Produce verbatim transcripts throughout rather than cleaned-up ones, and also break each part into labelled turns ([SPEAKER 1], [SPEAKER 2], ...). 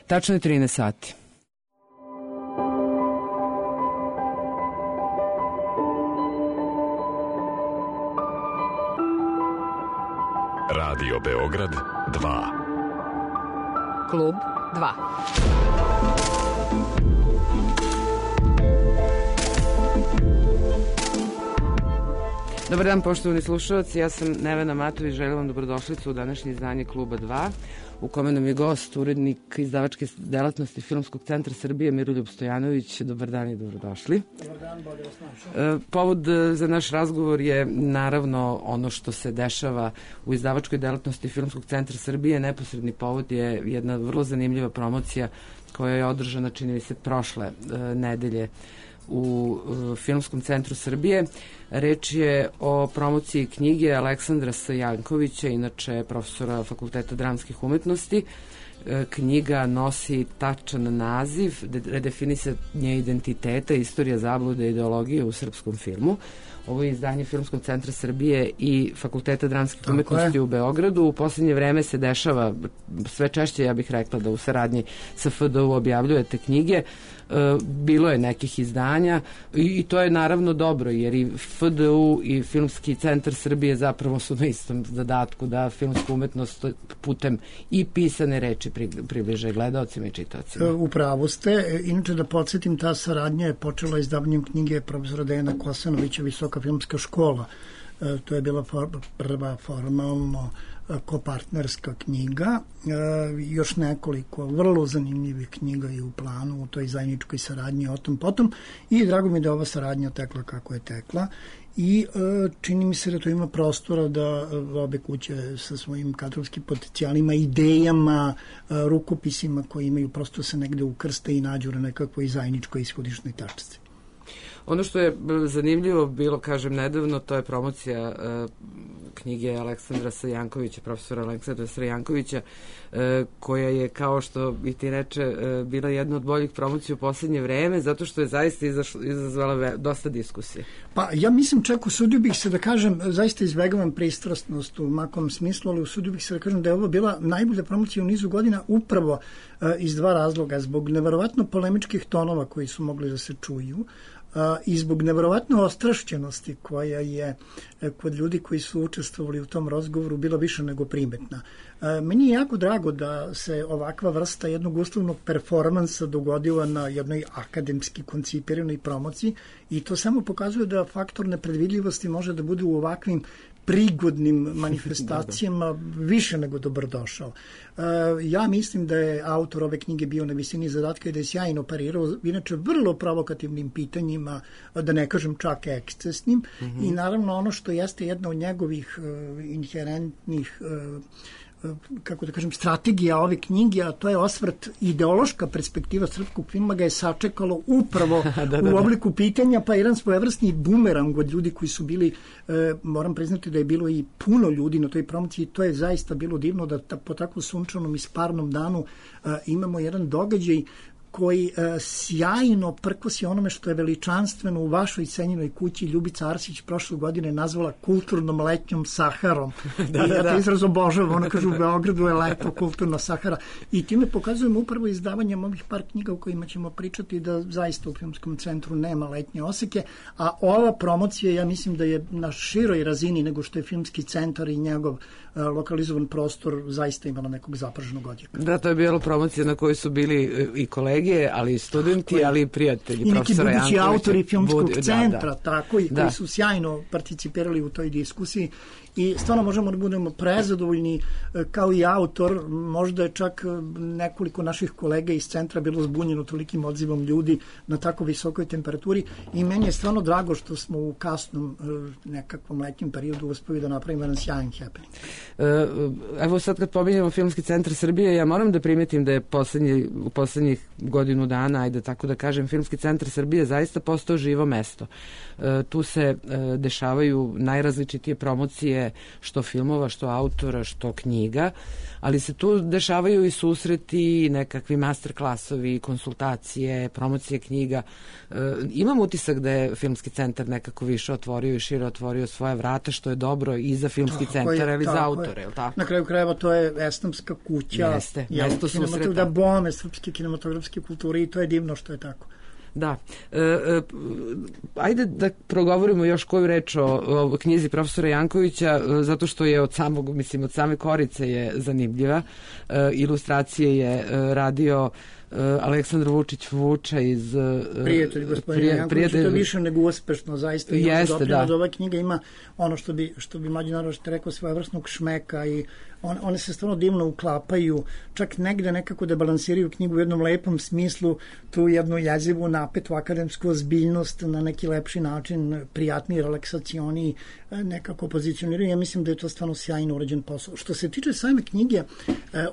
[SPEAKER 1] Tačno je trinaest sati.
[SPEAKER 2] Radio Beograd dva.
[SPEAKER 3] Klub dva.
[SPEAKER 1] Dobar dan, poštovani slušalci, ja sam Nevena Matović, želim vam dobrodošlicu u današnje izdanje Kluba dva, u kome nam je gost, urednik izdavačke delatnosti Filmskog centra Srbije, Miroljub Stojanović. Dobar dan i dobrodošli.
[SPEAKER 4] Dobar dan, bolje vas našao.
[SPEAKER 1] Povod za naš razgovor je naravno ono što se dešava u izdavačkoj delatnosti Filmskog centra Srbije. Neposredni povod je jedna vrlo zanimljiva promocija koja je održana, čini mi se, prošle nedelje u Filmskom centru Srbije. Reč je o promociji knjige Aleksandra Sajankovića, inače profesora Fakulteta dramskih umetnosti. Knjiga nosi tačan naziv Redefinisanje identiteta, istorija zablude i ideologije u srpskom filmu. Ovo je izdanje Filmskog centra Srbije i Fakulteta dramskih umetnosti u Beogradu. U poslednje vreme se dešava sve češće, ja bih rekla, da u saradnji sa F D U objavljujete knjige. Bilo je nekih izdanja i to je naravno dobro, jer i F D U i Filmski centar Srbije zapravo su na istom zadatku da filmsku umetnost putem i pisane reči približe gledaocima i čitaocima.
[SPEAKER 4] Upravo ste. Inače, da podsjetim, ta saradnja je počela izdavanjem knjige profesora Dejana Kosanovića Visoka filmska škola. To je bila for, prva formalno kopartnerska knjiga. Još nekoliko vrlo zanimljivih knjiga je u planu u toj zajedničkoj saradnji o tom potom i drago mi da ova saradnja tekla kako je tekla i čini mi se da to ima prostora da obe kuće sa svojim kadrovskim potencijalima, idejama, rukopisima koji imaju prosto se negde ukrste i nađu na nekakvoj zajedničkoj ishodišnoj tačci.
[SPEAKER 1] Ono što je zanimljivo bilo, kažem, nedavno, to je promocija uh, knjige Aleksandra Sajankovića, profesora Aleksandra Sajankovića, uh, koja je, kao što i ti reče, uh, bila jedna od boljih promocija u poslednje vreme, zato što je zaista izašla, izazvala ve, dosta diskusije.
[SPEAKER 4] Pa ja mislim, čak usudio bih se da kažem, zaista izbegavam pristrasnost u makom smislu, ali usudio bih se da kažem da je ovo bila najbolja promocija u nizu godina upravo uh, iz dva razloga, zbog neverovatno polemičkih tonova koji su mogli da se čuju, Uh, i zbog neverovatno ostrašćenosti koja je uh, kod ljudi koji su učestvovali u tom razgovoru bila više nego primetna. Uh, meni je jako drago da se ovakva vrsta jednog uslovnog performansa dogodila na jednoj akademski koncipiranoj promociji i to samo pokazuje da faktor nepredvidljivosti može da bude u ovakvim prigodnim manifestacijama više nego dobrodošao. Uh, ja mislim da je autor ove knjige bio na visini zadatka i da je sjajno parirao, inače vrlo provokativnim pitanjima, da ne kažem čak ekscesnim, mm-hmm. i naravno ono što jeste jedna od njegovih uh, inherentnih uh, kako da kažem, strategija ove knjige, a to je osvrt, ideološka perspektiva srpskog filma ga je sačekalo upravo da, da, da. u obliku pitanja, pa jedan svojevrsni bumerang od ljudi koji su bili, e, moram priznati da je bilo i puno ljudi na toj promociji, to je zaista bilo divno da ta, po takvom sunčanom i sparnom danu e, imamo jedan događaj koji e, sjajno prkosi onome što je veličanstveno u vašoj cenjenoj kući Ljubica Arsić prošle godine nazvala kulturnom letnjom Saharom. da, I ja da, to izraz obožavam, ona kaže u Beogradu je leto kulturna Sahara. I time pokazujemo upravo izdavanjem ovih par knjiga u kojima ćemo pričati da zaista u Filmskom centru nema letnje oseke, a ova promocija, ja mislim da je na široj razini nego što je Filmski centar i njegov e, lokalizovan prostor zaista imala nekog zapraženog odjeka.
[SPEAKER 1] Da, to je bila promocija na kojoj su bili i kolege, ali i studenti, ali i prijatelji
[SPEAKER 4] i neki budući autori Filmskog
[SPEAKER 1] budi,
[SPEAKER 4] centra,
[SPEAKER 1] da, da.
[SPEAKER 4] tako i
[SPEAKER 1] da.
[SPEAKER 4] koji su sjajno participirali u toj diskusiji i stvarno možemo da budemo prezadovoljni kao i autor. Možda je čak nekoliko naših kolega iz centra bilo zbunjeno tolikim odzivom ljudi na tako visokoj temperaturi i meni je stvarno drago što smo u kasnom nekakvom letnjem periodu uspeli da napravimo jedan sjajan happening.
[SPEAKER 1] Evo sad kad pominjamo Filmski centar Srbije, ja moram da primetim da je poslednji, u poslednjih godinu dana, ajde tako da kažem, Filmski centar Srbije zaista postao živo mesto. E, tu se e, dešavaju najrazličitije promocije, što filmova, što autora, što knjiga, ali se tu dešavaju i susreti, nekakvi master klasovi, konsultacije, promocije knjiga. E, imam utisak da je Filmski centar nekako više otvorio i šire otvorio svoje vrata, što je dobro i za Filmski centar, ali za autore, je li tako?
[SPEAKER 4] Na kraju krajeva to je esnamska kuća.
[SPEAKER 1] Jeste, mesto susreta.
[SPEAKER 4] Da bome srpske kinematografske kulture i to je divno što je tako.
[SPEAKER 1] Da. E, e, ajde da progovorimo još koju reč o, o knjizi profesora Jankovića, zato što je od samog, mislim, od same korice je zanimljiva. E, ilustracije je e, radio Aleksandar Vučić Vuča iz
[SPEAKER 4] Prijatelj gospodina Jankovića, prijatelj... to je više nego uspešno, zaista. Jeste, da. Ova knjiga ima ono što bi, što bi Mađi Narović rekao, svojevrsnog šmeka i on, one se stvarno divno uklapaju, čak negde nekako da balansiraju knjigu u jednom lepom smislu, tu jednu jezivu, napetu akademsku ozbiljnost na neki lepši način, prijatniji, relaksacioniji, nekako pozicioniraju. Ja mislim da je to stvarno sjajno urađen posao. Što se tiče same knjige,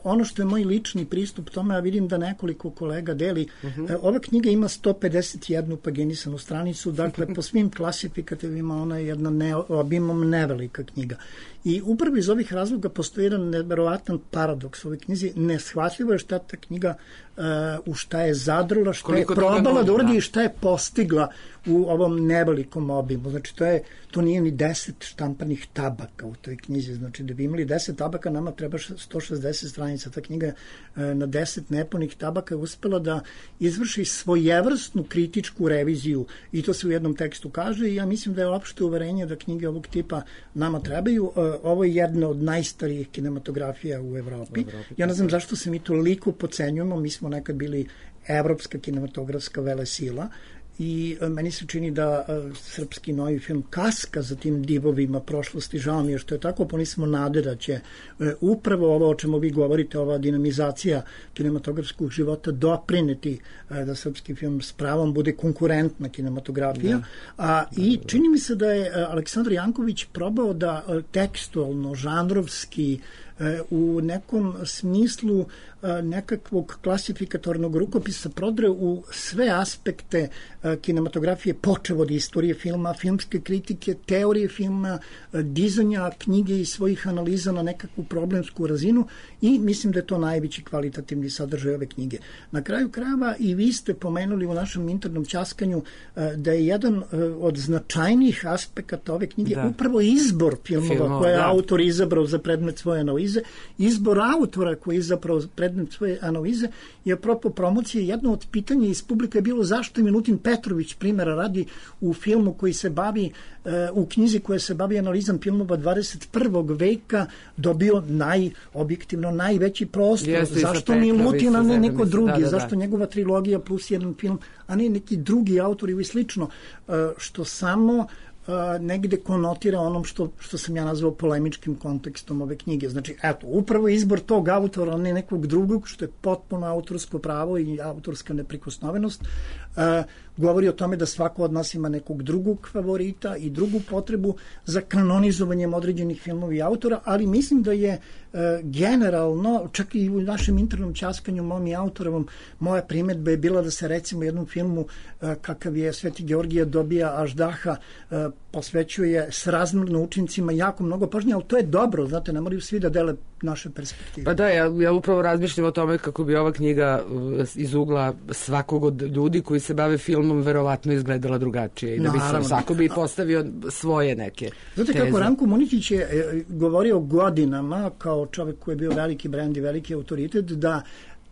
[SPEAKER 4] ono što je moj lični pristup tome, ja vidim da nekoliko kolega deli, uh-huh. ova knjiga ima sto pedeset jednu paginisanu stranicu, dakle po svim klasifikativima ona je jedna ne, obimom nevelika knjiga. I upravo iz ovih razloga postoji jedan neverovatan paradoks u ovoj knjizi. Neshvatljivo je šta ta knjiga uh, u šta je zadrla, šta je probala da uradi i šta je postigla u ovom nevelikom obimu. Znači, to, je, to nije ni deset štamparnih tabaka u toj knjizi. Znači, da bi imali deset tabaka, nama treba sto šezdeset stranica. Ta knjiga uh, na deset nepunih tabaka je uspela da izvrši svojevrsnu kritičku reviziju i to se u jednom tekstu kaže i ja mislim da je opšte uverenje da knjige ovog tipa nama trebaju. Uh, ovo je jedna od najstarijih kinematografija u Evropi. Ja ne znam zašto se mi toliko pocenjujemo, mi smo nekad bili evropska kinematografska velesila i meni se čini da uh, srpski novi film kaska za tim divovima prošlosti, žao mi je što je tako, pa nismo nade da će uh, upravo ovo o čemu vi govorite, ova dinamizacija kinematografskog života doprineti uh, da srpski film s pravom bude konkurentna kinematografija. Da. A, I čini mi se da je uh, Aleksandar Janković probao da uh, tekstualno, žanrovski, u nekom smislu nekakvog klasifikatornog rukopisa prodre u sve aspekte kinematografije, počev od istorije filma, filmske kritike, teorije filma, dizanja knjige i svojih analiza na nekakvu problemsku razinu i mislim da je to najveći kvalitativni sadržaj ove knjige. Na kraju krajeva i vi ste pomenuli u našem internom ćaskanju da je jedan od značajnijih aspekata ove knjige da. upravo izbor filmova Filmo, koje je da. autor izabrao za predmet svoje analize. Izbor autora koji je zapravo predmet svoje analize i apropo promocije, jedno od pitanja iz publika je bilo zašto je Milutin Petrović, primjera radi, u filmu koji se bavi, u knjizi koja se bavi analizom filmova dvadeset prvog veka dobio najobjektivno najveći prostor. Jeste, zašto Milutin, a ne neko drugi? Da, da, da. Zašto njegova trilogija plus jedan film, a ne neki drugi autori ili slično, što samo Uh, negde konotira onom što, što sam ja nazvao polemičkim kontekstom ove knjige. Znači, eto, upravo izbor tog autora, a ne nekog drugog, što je potpuno autorsko pravo i autorska neprikosnovenost, uh, govori o tome da svako od nas ima nekog drugog favorita i drugu potrebu za kanonizovanjem određenih filmova i autora, ali mislim da je uh, generalno, čak i u našem internom ćaskanju mom i autorovom, moja primedba je bila da se recimo jednom filmu uh, kakav je Sveti Georgije dobija Aždaha uh, posvećuje s razmjerno učincima jako mnogo pažnje, ali to je dobro, znate, ne moraju svi da dele naše perspektive.
[SPEAKER 1] Pa da, ja, ja upravo razmišljam o tome kako bi ova knjiga iz ugla svakog od ljudi koji se bave filmom verovatno izgledala drugačije i da bi se svako bi postavio svoje neke
[SPEAKER 4] Znate
[SPEAKER 1] teze.
[SPEAKER 4] Kako Ranko Muničić je govorio godinama kao čovjek koji je bio veliki brend i veliki autoritet, da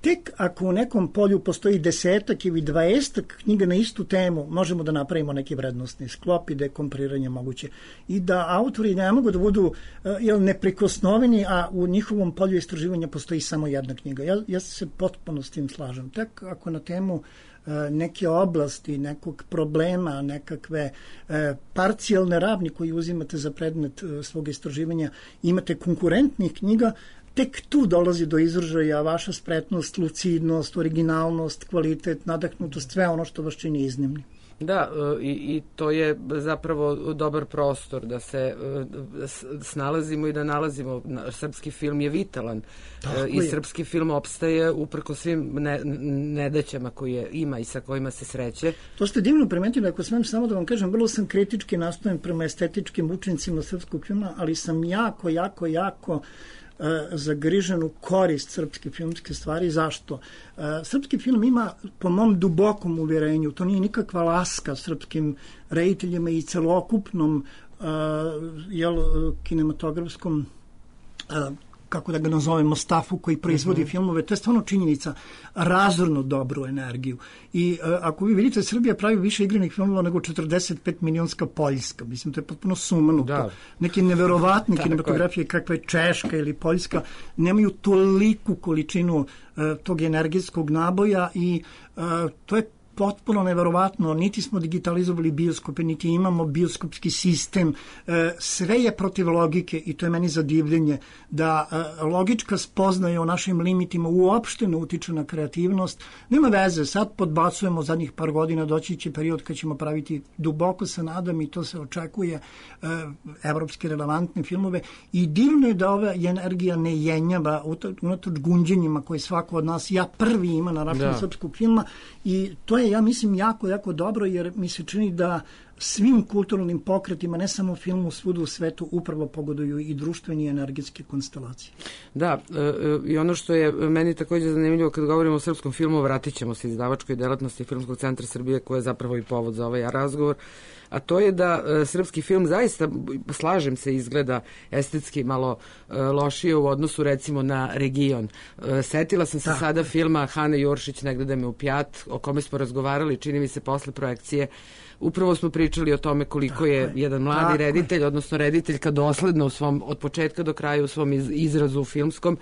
[SPEAKER 4] tek ako u nekom polju postoji desetak ili dvaestak knjiga na istu temu, možemo da napravimo neki vrednostni sklop i da je kompariranje moguće. I da autori ne mogu da budu jel, neprikosnoveni, a u njihovom polju istraživanja postoji samo jedna knjiga. Ja, ja se potpuno s tim slažem. Tek ako na temu neke oblasti, nekog problema, nekakve e, parcijalne ravni koji uzimate za predmet e, svog istraživanja, imate konkurentnih knjiga, tek tu dolazi do izražaja vaša spretnost, lucidnost, originalnost, kvalitet, nadahnutost, sve ono što vas čini iznimni.
[SPEAKER 1] Da, i, i to je zapravo dobar prostor da se snalazimo i da nalazimo. Srpski film je vitalan. Tako i je. Srpski film opstaje uprko svim ne, nedaćama koje ima i sa kojima se sreće.
[SPEAKER 4] To ste divno primetili, ako smem samo da vam kažem, vrlo sam kritički nastojen prema estetičkim učincima srpskog filma, ali sam jako, jako, jako zagrižen u korist srpske filmske stvari. Zašto? Srpski film ima, po mom dubokom uvjerenju, to nije nikakva laska srpskim rediteljima i celokupnom jel, kinematografskom kako da ga nazovemo, stafu koji proizvodi mm-hmm. filmove, to je stvarno činjenica, razorno dobru energiju. I uh, ako vi vidite, Srbija pravi više igranih filmova nego četrdeset pet milionska Poljska. Mislim, to je potpuno sumanuto. Da. Neke neverovatne kinematografije kakva je Češka ili Poljska nemaju toliku količinu uh, tog energijskog naboja i uh, to je potpuno neverovatno, niti smo digitalizovali bioskope, niti imamo bioskopski sistem, sve je protiv logike i to je meni zadivljenje, da logička spoznaja o našim limitima uopšte ne utiče na kreativnost. Nema veze, sad podbacujemo zadnjih par godina, doći će period kad ćemo praviti, duboko se nadam i to se očekuje, evropske relevantne filmove i divno je da ova energija ne jenjava unatoč gunđenjima koje svako od nas, ja prvi ima na račun srpskog filma i to je, ja mislim, jako, jako dobro, jer mi se čini da svim kulturnim pokretima, ne samo filmu, svuda u svetu, upravo pogoduju i društveni i energetske konstelacije.
[SPEAKER 1] Da, e, i ono što je meni također zanimljivo kad govorimo o srpskom filmu, vratit ćemo se izdavačkoj delatnosti Filmskog centra Srbije, koja je zapravo i povod za ovaj razgovor, a to je da e, srpski film zaista, slažem se, izgleda estetski malo e, lošije u odnosu recimo na region. E, setila sam se da. sada filma Hane Juršić, Ne gleda me u pjat, o kome smo razgovarali, čini mi se posle projekcije. Upravo smo pričali o tome koliko tako je jedan mladi tako reditelj, je. odnosno rediteljka dosledno u svom, od početka do kraja u svom iz, izrazu filmskom,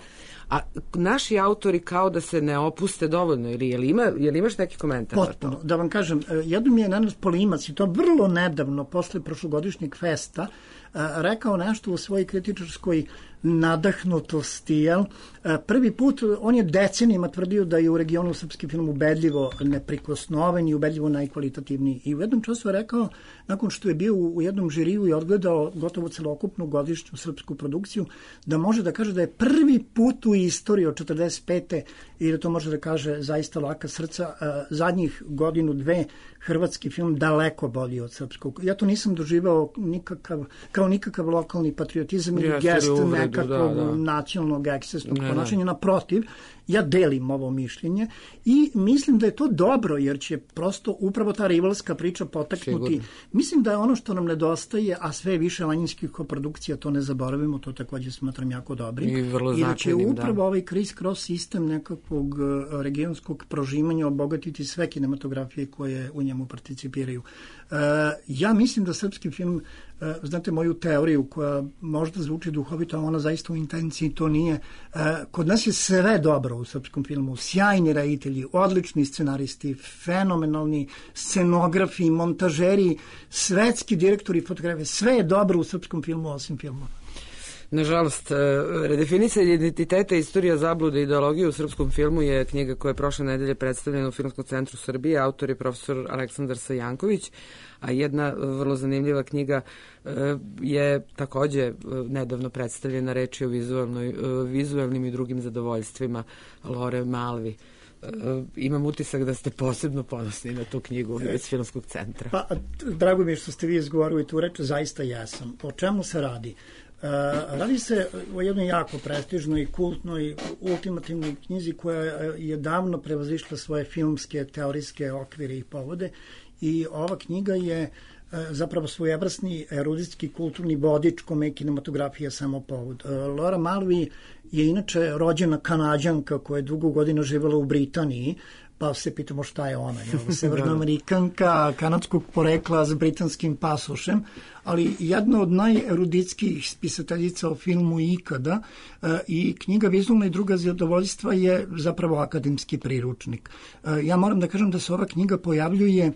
[SPEAKER 1] a naši autori kao da se ne opuste dovoljno, ili je li, ima, je li imaš neki komentar?
[SPEAKER 4] Potpuno, da vam kažem, jednom mi je Nenad Polimac i to vrlo nedavno, posle prošlogodišnjeg festa, rekao nešto u svojoj kritičarskoj nadahnutosti, jel? Prvi put, on je decenijima tvrdio da je u regionu srpski film ubedljivo neprikosnoven i ubedljivo najkvalitativniji. I u jednom času je rekao, nakon što je bio u jednom žiriju i odgledao gotovo celokupnu godišnju srpsku produkciju, da može da kaže da je prvi put u istoriji od četrdeset pete i da to može da kaže zaista laka srca, zadnjih godinu, dve, hrvatski film daleko bolji od srpskog. Ja to nisam doživao nikakav, kao nikakav lokalni patriotizam ili gest nekakvog da, da. nacionalnog ekscesnog ponašanja. Naprotiv, ja delim ovo mišljenje i mislim da je to dobro, jer će prosto upravo ta rivalska priča potaknuti. Sigurno. Mislim da je ono što nam nedostaje, a sve više manjinskih koprodukcija, to ne zaboravimo, to također smatram jako dobrim.
[SPEAKER 1] I vrlo
[SPEAKER 4] I da će upravo
[SPEAKER 1] da.
[SPEAKER 4] ovaj criss-cross sistem nekakvog regionskog prožimanja obogatiti sve kinematografije koje u njemu participiraju. Uh, ja mislim da srpski film, uh, znate moju teoriju koja možda zvuči duhovito, a ona zaista u intenciji to nije. Uh, kod nas je sve dobro u srpskom filmu, sjajni reditelji, odlični scenaristi, fenomenalni scenografi, montažeri, svetski direktori fotografije, sve je dobro u srpskom filmu osim filmova.
[SPEAKER 1] Nažalost, redefinicija identiteta, istorija zablude i ideologije u srpskom filmu je knjiga koja je prošle nedelje predstavljena u Filmskom centru Srbije. Autor je profesor Aleksandar Sajanković, a jedna vrlo zanimljiva knjiga je takođe nedavno predstavljena, reč je o vizualnoj, vizualnim i drugim zadovoljstvima Lore Malvi. Imam utisak da ste posebno ponosni na tu knjigu iz Filmskog centra.
[SPEAKER 4] Pa, drago mi je što ste vi izgovorili tu reč, zaista jesam. O čemu se radi? Uh, radi se o jednoj jako prestižnoj, kultnoj, ultimativnoj knjizi koja je davno prevazišla svoje filmske, teorijske okvire i povode i ova knjiga je uh, zapravo svojevrsni eruditski kulturni vodič kome je kinematografija samo povod. Uh, Laura Mulvey je inače rođena Kanađanka koja je dugo godina živjela u Britaniji, pa se pitamo šta je ona, je severnoamerikanka kanadskog porekla s britanskim pasošem, ali jedna od najeruditskih spisateljica o filmu ikada e, i knjiga Vizualna i druga zadovoljstva je zapravo akademski priručnik. E, ja moram da kažem da se ova knjiga pojavljuje, e,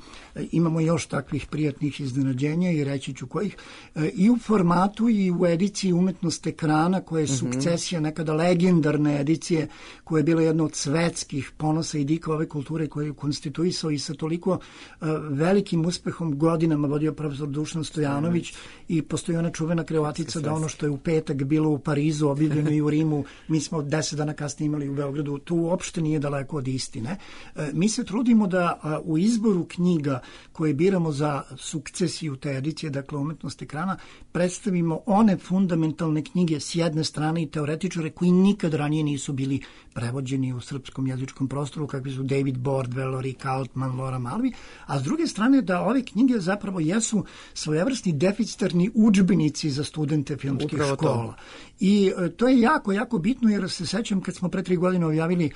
[SPEAKER 4] imamo još takvih prijatnih iznenađenja i reći ću kojih, e, i u formatu i u ediciji Umetnost ekrana koja je mm-hmm. sukcesija nekada legendarne edicije koja je bila jedna od svetskih ponosa i dika ove kulture koji je konstituisao i sa toliko uh, velikim uspehom godinama vodio profesor Dušan Stojanović i postoji ona čuvena kreatica da ono što je u petak bilo u Parizu, objavljeno i u Rimu, mi smo deset dana kasnije imali u Beogradu, to uopšte nije daleko od istine. Uh, mi se trudimo da uh, u izboru knjiga koje biramo za sukcesiju te edicije, dakle umetnost ekrana, predstavimo one fundamentalne knjige s jedne strane i teoretičare koji nikad ranije nisu bili prevođeni u srpskom jezičkom prostoru, kakvi su David Bordwell, Rick Altman, Laura Mulvey, a s druge strane da ove knjige zapravo jesu svojevrsni deficitarni udžbenici za studente filmskih Upravo škola. To. I e, to je jako, jako bitno, jer se sećam kad smo pre tri godine objavili e,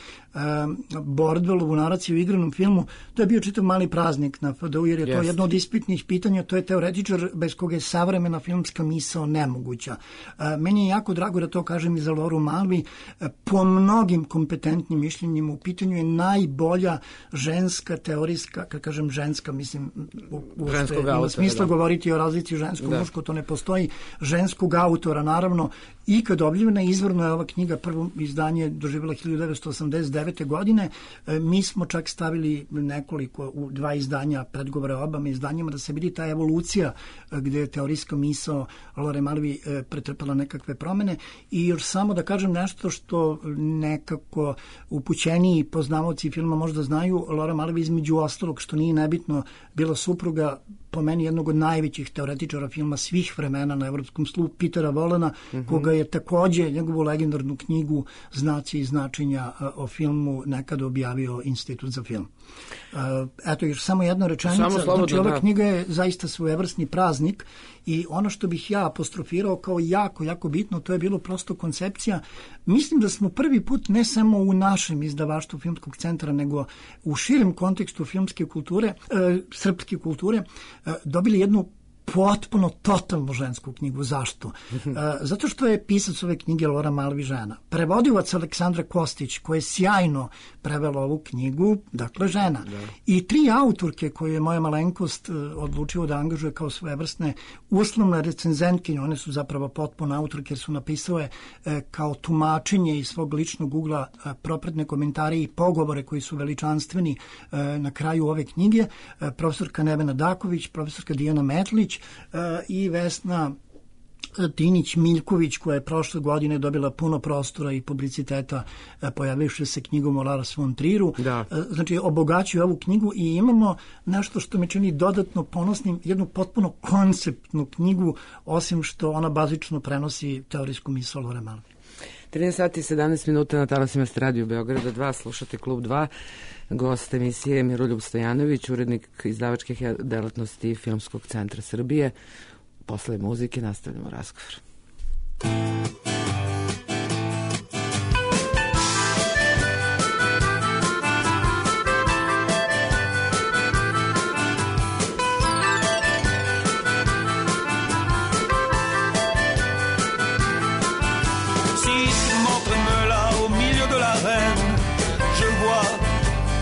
[SPEAKER 4] Bordwellovu naraciju u igranom filmu, to je bio čitav mali praznik na F D U, jer je yes. to jedno od ispitnih pitanja, to je teoretičar bez koga je savremena filmska misao nemoguća. E, meni je jako drago da to kažem i za Lauru Mulvey. E, po mnogim kompetentnim mišljenjima u pitanju je najbolja ženska teorijska, kad kažem ženska, mislim u, u ima smisla da. govoriti o razlici žensko-muško, to ne postoji, ženskog autora, naravno, i kad objavljena izvorno je ova knjiga, prvo izdanje doživjela hiljadu devetsto osamdeset devete. godine, e, mi smo čak stavili nekoliko, u dva izdanja, predgovore obama izdanjima, da se vidi ta evolucija e, gde je teorijska misao Laure Mulvey e, pretrpela nekakve promene. I još samo da kažem nešto što nekako upućeniji poznavaoci filma možda znaju, Laura Mulvey između ostalog, što nije nebitno, bila supruga po meni jednog od najvećih teoretičara filma svih vremena na evropskom slu, Petera Volena, mm-hmm. koga je takođe njegovu legendarnu knjigu Znaci i značenja o filmu nekada objavio Institut za film. Eto, još samo jedna rečenica. Slobodno, znači, ova da. knjiga je zaista svojevrsni praznik i ono što bih ja apostrofirao kao jako, jako bitno, to je bilo prosto koncepcija. Mislim da smo prvi put ne samo u našem izdavaštvu Filmskog centra, nego u širem kontekstu filmske kulture, e, srpske kulture, e, dobili jednu potpuno, totalno žensku knjigu. Zašto? Uh, zato što je pisac ove knjige Laura Mulvey žena. Prevodilac Aleksandra Kostić, koja je sjajno prevela ovu knjigu, dakle žena. Da. I tri autorke koje je moja malenkost uh, odlučila da angažuje kao svojevrsne uslovne recenzentkinje, one su zapravo potpuno autorke, jer su napisale uh, kao tumačenje iz svog ličnog ugla uh, propratne komentare i pogovore koji su veličanstveni uh, na kraju ove knjige. Uh, profesorka Nevena Daković, profesorka Dijana Metlić, Uh, i Vesna Tinić-Miljković, koja je prošle godine dobila puno prostora i publiciteta uh, pojavivši se knjigom o Lars von Trieru. Da. Uh, znači, obogaćuju ovu knjigu i imamo nešto što me čini dodatno ponosnim, jednu potpuno konceptnu knjigu, osim što ona bazično prenosi teorijsku misao Laure Mulvey.
[SPEAKER 1] trinaest sati i sedamnaest minuta na talasima Radio Beograda dva, slušate Klub dva. Gost emisije Miroljub Stojanović, urednik izdavačkih delatnosti Filmskog centra Srbije. Posle muzike nastavljamo razgovor.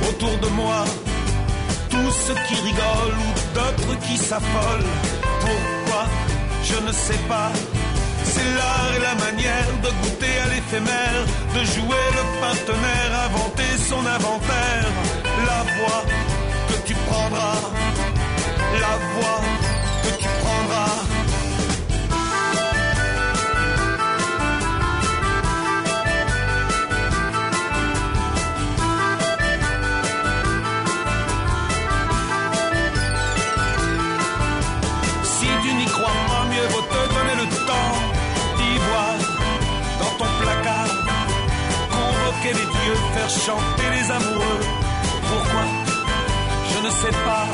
[SPEAKER 5] Autour de moi, tous ceux qui rigolent ou d'autres qui s'affolent. Pourquoi? Je ne sais pas. C'est l'art et la manière de goûter à l'éphémère, de jouer le partenaire, inventer son inventaire. La voie que tu prendras, la voie que tu prendras. Les dieux, faire chanter les amoureux. Pourquoi? Je ne sais pas.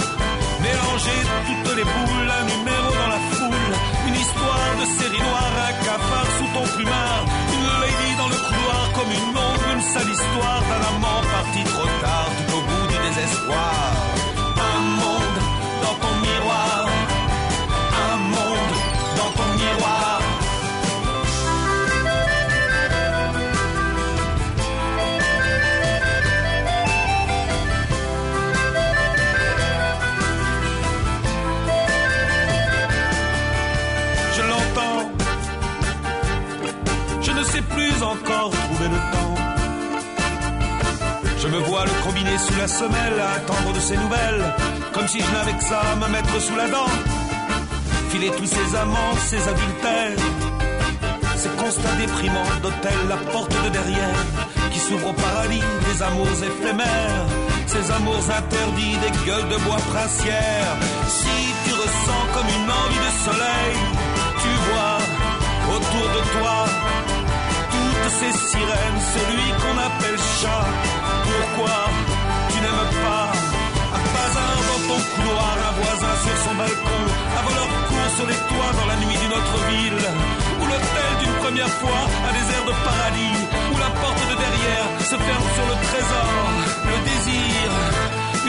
[SPEAKER 5] Mélanger toutes les boules, un numéro dans la foule, une histoire de série noire, un cafard sous ton plumard, une lady dans le couloir comme une ombre, une sale histoire d'un amant parti trop tard, tout au bout du désespoir. Un monde dans ton miroir, un monde dans ton miroir. combiné sous la semelle à attendre de ses nouvelles, comme si je n'avais que ça à me mettre sous la dent. Filer tous ces amants, ces adultères, ces constats déprimants d'hôtel, la porte de derrière qui s'ouvre au paradis des amours éphémères, ces amours interdits des gueules de bois princières. Si tu ressens comme une envie de soleil, tu vois autour de toi toutes ces sirènes, celui qu'on appelle chat. Pourquoi tu n'aimes pas un bazar dans ton couloir, un voisin sur son balcon, un voleur court sur les toits dans la nuit d'une autre ville, ou l'hôtel d'une première fois, un désert de paradis, où la porte de derrière se ferme sur le trésor, le désir,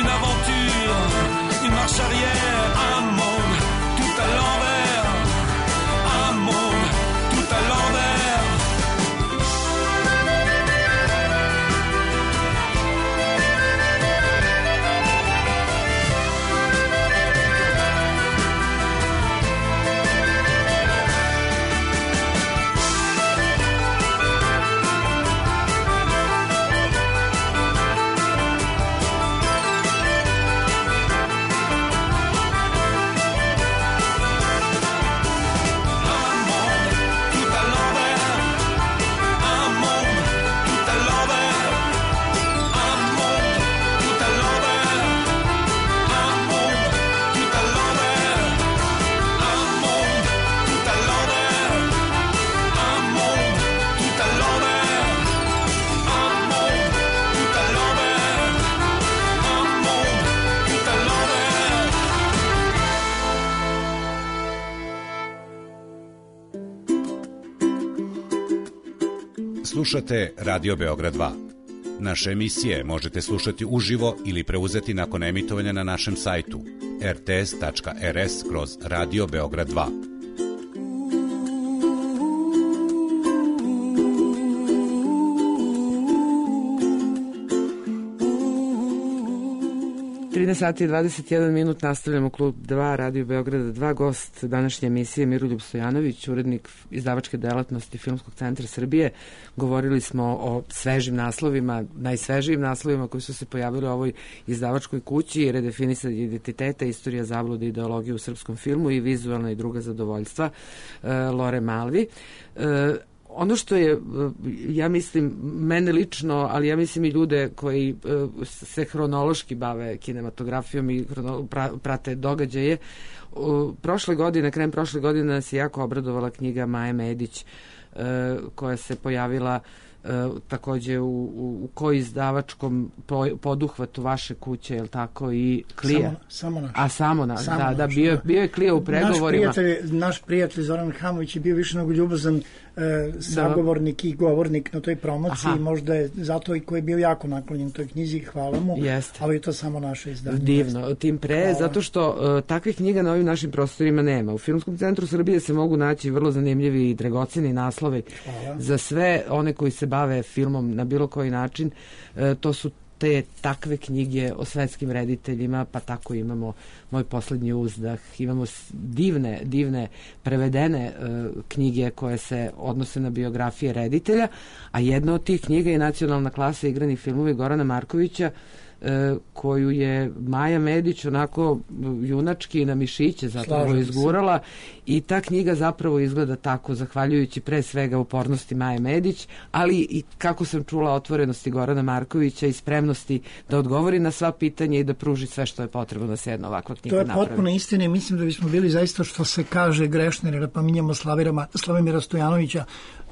[SPEAKER 5] une aventure, une marche arrière, un monde tout à l'envers, un monde tout à l'envers.
[SPEAKER 6] Slušate Radio Beograd dva. Naše emisije možete slušati uživo ili preuzeti nakon emitovanja na našem sajtu er te es tačka er es kroz Radio Beograd dva.
[SPEAKER 1] trinaest sati i dvadeset jedan minut, nastavljamo Klub dva, Radio Beograda dva. Gost današnje emisije Miroljub Stojanović, urednik izdavačke delatnosti Filmskog centra Srbije. Govorili smo o svežim naslovima, najsvežijim naslovima koji su se pojavili u ovoj izdavačkoj kući: Redefinisanje identiteta, istorija zablude i ideologije u srpskom filmu i vizualna i druga zadovoljstva, Lore Malvi. Ono što je, ja mislim, mene lično, ali ja mislim i ljude koji se hronološki bave kinematografijom i prate događaje, prošle godine, krajem prošle godine nas je jako obradovala knjiga Maje Medić, koja se pojavila takođe u, u, u koji izdavačkom poduhvatu vaše kuće, je li tako, i Klija?
[SPEAKER 4] Samo, samo naš.
[SPEAKER 1] A samo naš,
[SPEAKER 4] samo
[SPEAKER 1] da,
[SPEAKER 4] naš,
[SPEAKER 1] da, bio,
[SPEAKER 4] da.
[SPEAKER 1] bio je Klija u pregovorima.
[SPEAKER 4] Naš prijatelj, naš prijatelj Zoran Hamović je bio više nego ljubazan e, sagovornik i govornik na toj promociji. Aha. Možda je zato i koji je bio jako naklonjen toj knjizi, hvala mu. Jeste. Ali je to samo naše izdanje. Divno,
[SPEAKER 1] tim pre, hvala. Zato što uh, takvih knjiga na ovim našim prostorima nema. U Filmskom centru Srbije se mogu naći vrlo zanimljivi i dragoceni naslovi, hvala, za sve one koji se bave filmom na bilo koji način. E, to su te takve knjige o svetskim rediteljima, pa tako imamo Moj poslednji uzdah, imamo divne, divne prevedene e, knjige koje se odnose na biografije reditelja, a jedna od tih knjiga je Nacionalna klasa igrani filmovi Gorana Markovića, e, koju je Maja Medić onako junački na mišiće zapravo izgurala, i ta knjiga zapravo izgleda tako, zahvaljujući pre svega upornosti Maje Medić, ali i, kako sam čula, otvorenosti Gorana Markovića i spremnosti da odgovori na sva pitanja i da pruži sve što je potrebno da se jedna ovakva knjiga napravi.
[SPEAKER 4] To je potpuno istina i mislim da bismo bili zaista, što se kaže, grešni, jer pominjamo Slavimira Stojanovića,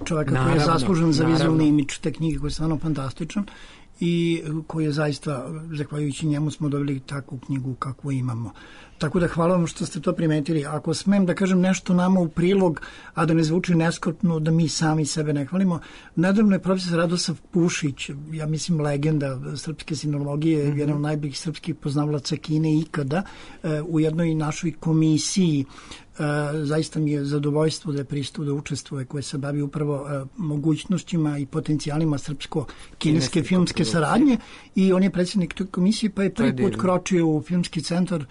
[SPEAKER 4] čoveka naravno, koji je zaslužen za vizualni imidž te knjige, koji je stvarno fantastičan i koji je zaista, zahvaljujući njemu smo dobili takvu knjigu kakvu imamo. Tako da hvala vam što ste to primetili. Ako smem da kažem nešto nama u prilog, a da ne zvuči neskropno, da mi sami sebe ne hvalimo, nedavno je profesor Radosav Pušić, ja mislim legenda srpske sinologije, mm-hmm. jedan od najboljih srpskih poznavalaca Kine ikada, u jednoj našoj komisiji zaista mi je zadovoljstvo da je pristup da učestvuje, koje se bavi upravo mogućnostima i potencijalima srpsko-kineske filmske saradnje i on je predsjednik toj komisije, pa je prvi put kročio u filmski centar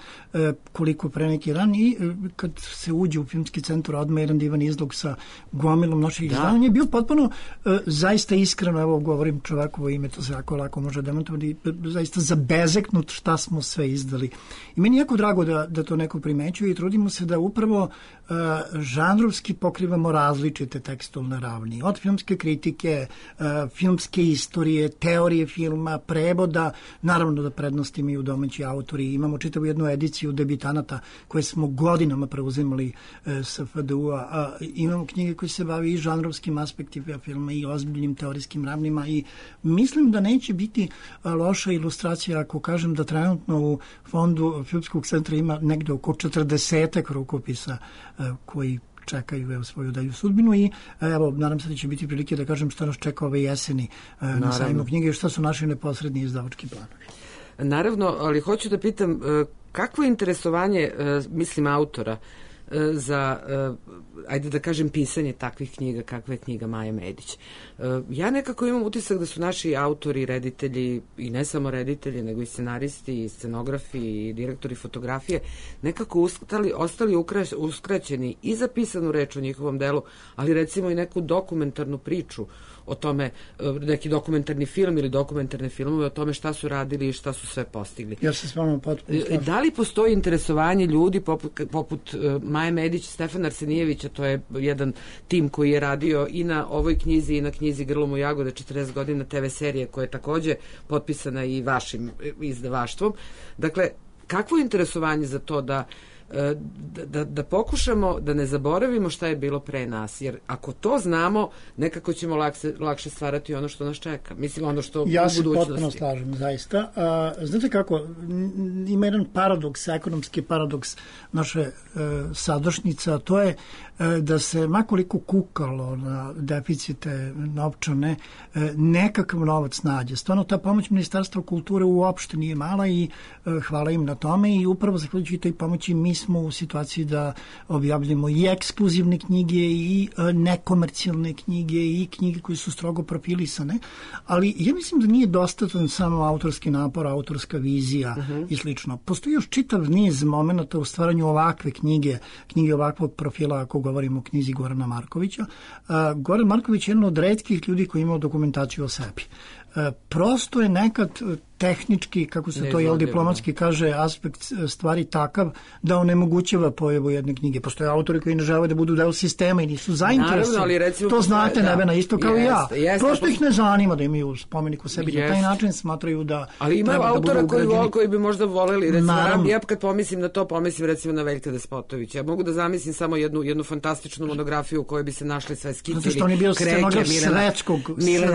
[SPEAKER 4] koliko pre neki dan i kad se uđe u filmski centar odmah jedan divan izlog sa gomilom naših izdavanja je bio potpuno zaista iskreno, evo govorim čovekovo ime, to se jako lako može demantovati, zaista zabezeknut šta smo sve izdali. I meni je jako drago da, da to neko primećuje i trudimo se da upravo uh, žanrovski pokrivamo različite tekstualne ravni. Od filmske kritike, uh, filmske istorije, teorije filma, prevoda, naravno da prednost imaju domaći autori. Imamo čitavu jednu ediciju debitanata koje smo godinama preuzimali uh, sa F D U-a. Uh, imamo knjige koje se bavi i žanrovskim aspektima filma i ozbiljnim teorijskim ravnima i mislim da neće biti uh, loša ilustracija ako kažem da trenutno u fondu Filmskog centra ima negde oko četrdesetak rukopisa uh, koji čekaju evo, svoju dalju sudbinu i evo, nadam se da će biti prilike da kažem šta nas čeka ove jeseni uh, na sajmu knjige i šta su naši neposredni izdavački planovi.
[SPEAKER 1] Naravno, ali hoću da pitam uh, kakvo je interesovanje, uh, mislim, autora uh, za, uh, ajde da kažem, pisanje takvih knjiga kakva je knjiga Maje Medić. Uh, ja nekako imam utisak da su naši autori, reditelji i ne samo reditelji, nego i scenaristi, i scenografi, i direktori fotografije nekako ustali, ostali ukraš, uskraćeni i za pisanu reč o njihovom delu, ali recimo i neku dokumentarnu priču o tome, neki dokumentarni film ili dokumentarne filmove o tome šta su radili i šta su sve postigli.
[SPEAKER 4] Ja se s vama potpuno slažem.
[SPEAKER 1] Da li postoji interesovanje ljudi poput, poput Maje Medić, Stefana Arsenijevića, to je jedan tim koji je radio i na ovoj knjizi i na knjizi Grlom u jagode četrdeset godina te ve serije koja je takođe potpisana i vašim izdavaštvom. Dakle, kakvo je interesovanje za to da Da, da, da pokušamo da ne zaboravimo šta je bilo pre nas, jer ako to znamo, nekako ćemo lakše, lakše stvarati ono što nas čeka. Mislim, ono što
[SPEAKER 4] ja
[SPEAKER 1] u budućnosti.
[SPEAKER 4] Ja se potpuno slažem, zaista. A, znate kako, ima jedan paradoks, ekonomski paradoks naše e, sadašnjice, a to je e, da se makoliko kukalo na deficite novčane, e, nekakav novac nađe. Stvarno, ta pomoć Ministarstva kulture uopšte nije mala i e, hvala im na tome i upravo zahvaljujući toj pomoći mi smo u situaciji da objavljamo i ekskluzivne knjige i nekomercijalne knjige i knjige koje su strogo profilisane, ali ja mislim da nije dostatan samo autorski napor, autorska vizija uh-huh. i slično. Postoji još čitav niz momenta u stvaranju ovakve knjige, knjige ovakvog profila, ako govorimo o knjizi Gorana Markovića. Uh, Goran Marković je jedan od retkih ljudi koji imao dokumentaciju o sebi. Uh, prosto je nekad tehnički, kako se to jel diplomatski kaže, aspekt stvari takav da onemogućava pojavu jedne knjige. Postoje autori koji ne žele da budu deo sistema i nisu zainteresovani. To znate, da, Nevena, isto kao i ja. Jeste, Prosto ih ne zanima da imaju spomenik u sebi. Jest. Na taj način smatraju da
[SPEAKER 1] ali ima autora da koji, vo, koji bi možda voleli. Recimo, ja kad pomislim na to, pomislim recimo na Veljka Despotovića. Ja mogu da zamislim samo jednu, jednu fantastičnu monografiju u kojoj bi se našli sve skicili.
[SPEAKER 4] Zato što on je bio scenograf svetskog,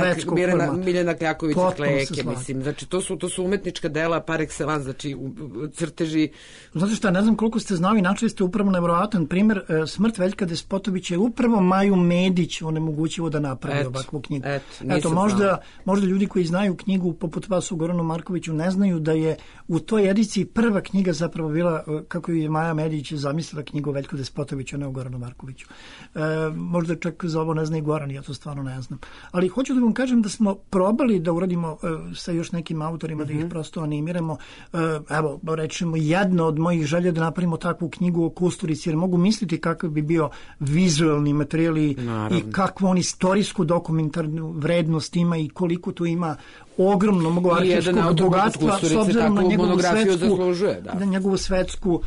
[SPEAKER 4] svetskog
[SPEAKER 1] Miljana, Miljana Kljakovića Kleke, mislim. Znači, to su to su umetnička dela par excellence, znači u, u, crteži.
[SPEAKER 4] Znate šta, ne znam koliko ste znali, načeli ste upravo nevjerovatan primjer, e, smrt Veljka Despotovića je upravo Maju Medić onemogućivo da napravi et, ovakvu knjigu. Et, Eto, možda, možda ljudi koji znaju knjigu poput vas u Goranu Markoviću ne znaju da je u toj ediciji prva knjiga zapravo bila, kako je Maja Medić zamislila knjigu o Veljku Despotoviću, a ne o Goranu Markoviću. E, možda čak za ovo ne zna i Goran, ja to stvarno ne znam. Ali hoću da vam kažem da smo probali da uradimo e, sa još nekim autorima, mm-hmm. da ih prosto animiramo. Evo, rečemo, jedna od mojih želja da napravimo takvu knjigu o Kusturici, jer mogu misliti kakav bi bio vizualni materijal i, i kakvu on istorijsku dokumentarnu vrednost ima i koliko tu ima ogromno mogu arhivskog bogatstva s obzirom na njegovu svetsku, da. na njegovu svetsku uh,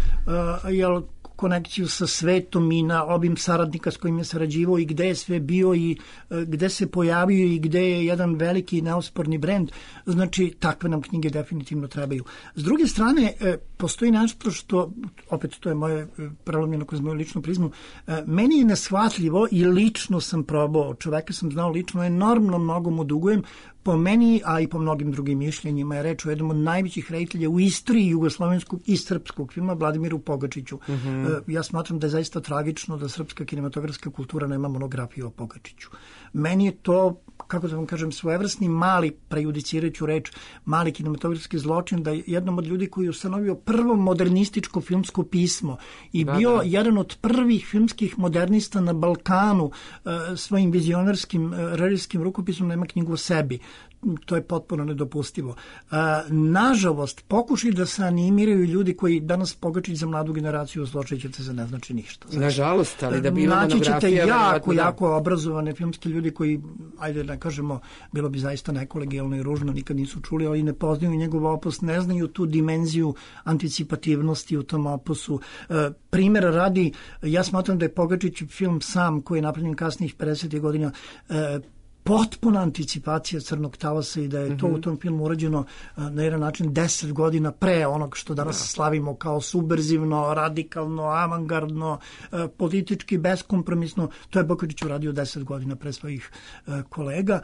[SPEAKER 4] jel, konekciju sa svetom i na obim saradnika s kojim je sarađivao i gde je sve bio i e, gde se pojavio i gde je jedan veliki neosporni brend. Znači, takve nam knjige definitivno trebaju. S druge strane, e, postoji nešto što, opet to je moje e, prelomljeno kroz moju ličnu prizmu, e, meni je neshvatljivo i lično sam probao, čoveka sam znao lično, enormno mnogo mu dugujem, po meni, a i po mnogim drugim mišljenjima, je reč o jednom od najvećih reditelja u istoriji jugoslovenskog i srpskog filma, Vladimiru Pogačiću. Mm-hmm. Ja smatram da je zaista tragično da srpska kinematografska kultura nema monografiju o Pogačiću. Meni je to, kako da vam kažem, svojevrsni mali, prejudicirajuću reč, mali kinematografski zločin, da je jednom od ljudi koji je ustanovio prvo modernističko filmsko pismo i da, bio da. jedan od prvih filmskih modernista na Balkanu, svojim vizionarskim režijskim rukopisom nema knjigu o sebi. To je potpuno nedopustivo. Nažalost, pokušaj da se animiraju ljudi koji danas Pogačić za mladu generaciju zločećete za ne znači ništa. Znači,
[SPEAKER 1] nažalost, ali da bi
[SPEAKER 4] naći ćete jako, jako obrazovane filmske ljudi koji, ajde da kažemo, bilo bi zaista nekolegijalno i ružno, nikad nisu čuli, ali ne poznaju njegov opus, ne znaju tu dimenziju anticipativnosti u tom opusu. Primjera radi, ja smatram da je Pogačić film sam, koji je napravljen kasnijih pedesetih godina, potpuna anticipacija Crnog talasa i da je to mm-hmm. u tom filmu urađeno na jedan način deset godina pre onog što danas da. slavimo kao subverzivno, radikalno, avangardno, politički beskompromisno. To je Pogačić uradio deset godina pre svojih kolega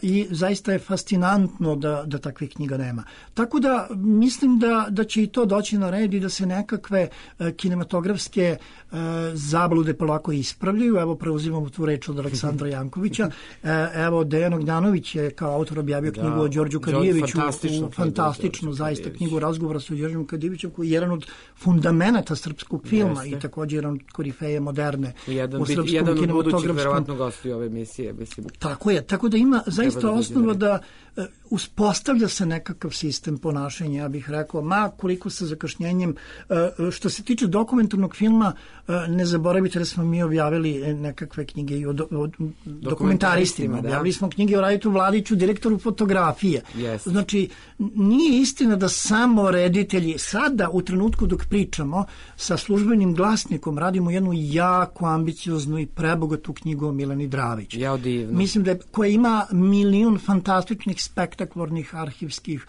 [SPEAKER 4] i zaista je fascinantno da, da takvih knjiga nema. Tako da mislim da, da će i to doći na red i da se nekakve kinematografske zablude polako ispravljaju. Evo, preuzimamo tu reč od Aleksandra Jankovića. Evo, Dejan Ognjanović je kao autor objavio knjigu da, o Đorđu Kadijeviću, fantastično, fantastično zaista knjigu razgovora sa Đorđem Kadijevićem, koji je jedan od fundamenta srpskog filma Jeste. i također jedan od korifeje moderne
[SPEAKER 1] jedan,
[SPEAKER 4] u srpskom
[SPEAKER 1] jedan
[SPEAKER 4] kinematografskom.
[SPEAKER 1] Jedan od budućih verovatno gostiju ove emisije. Mislim.
[SPEAKER 4] Tako je, tako da ima zaista da osnova da uh, uspostavlja se nekakav sistem ponašanja, ja bih rekao, ma koliko sa zakašnjenjem. Uh, što se tiče dokumentarnog filma, uh, ne zaboravite da smo mi objavili nekakve knjige i o, do, o dokumentaristima. Objavili smo knjige o Raditu Vladiću, direktoru fotografije.
[SPEAKER 1] Yes.
[SPEAKER 4] Znači, nije istina da samo reditelji, sada u trenutku dok pričamo sa Službenim glasnikom radimo jednu jako ambicioznu i prebogatu knjigu o Mileni Dravić.
[SPEAKER 1] Ja, divno.
[SPEAKER 4] Mislim da je, koja ima milion fantastičnih, spektakularnih arhivskih,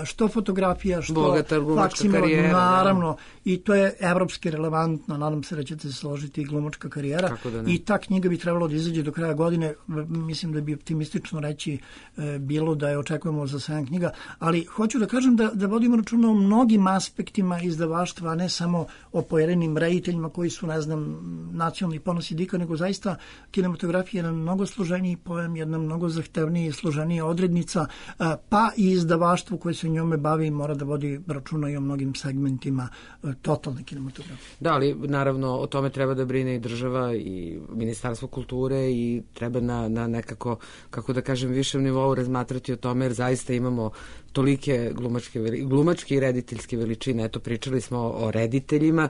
[SPEAKER 4] što fotografija, što faksimila, naravno, da. I to je evropski relevantno, nadam se da ćete se složiti, i glumačka karijera. I ta knjiga bi trebalo da izađe do kraja godine. Mislim da bi optimistično reći e, bilo da je očekujemo za sedam knjiga, ali hoću da kažem da, da vodimo računa o mnogim aspektima izdavaštva, a ne samo o pojedinim rediteljima koji su, ne znam, nacionalni ponosi dika, nego zaista kinematografija je jedan mnogo složeniji pojam, jedna mnogo zahtevniji i složenija odrednica, a, pa i izdavaštvo koje se njome bavi mora da vodi računa i o mnogim segmentima a, totalne kinematografije.
[SPEAKER 1] Da, ali naravno o tome treba da brine i država i Ministarstvo kulture i treba na, na nekako, kako da kažem, višem nivou razmatrati o tome, jer zaista imamo tolike glumačke, glumačke i rediteljske veličine. Eto, pričali smo o rediteljima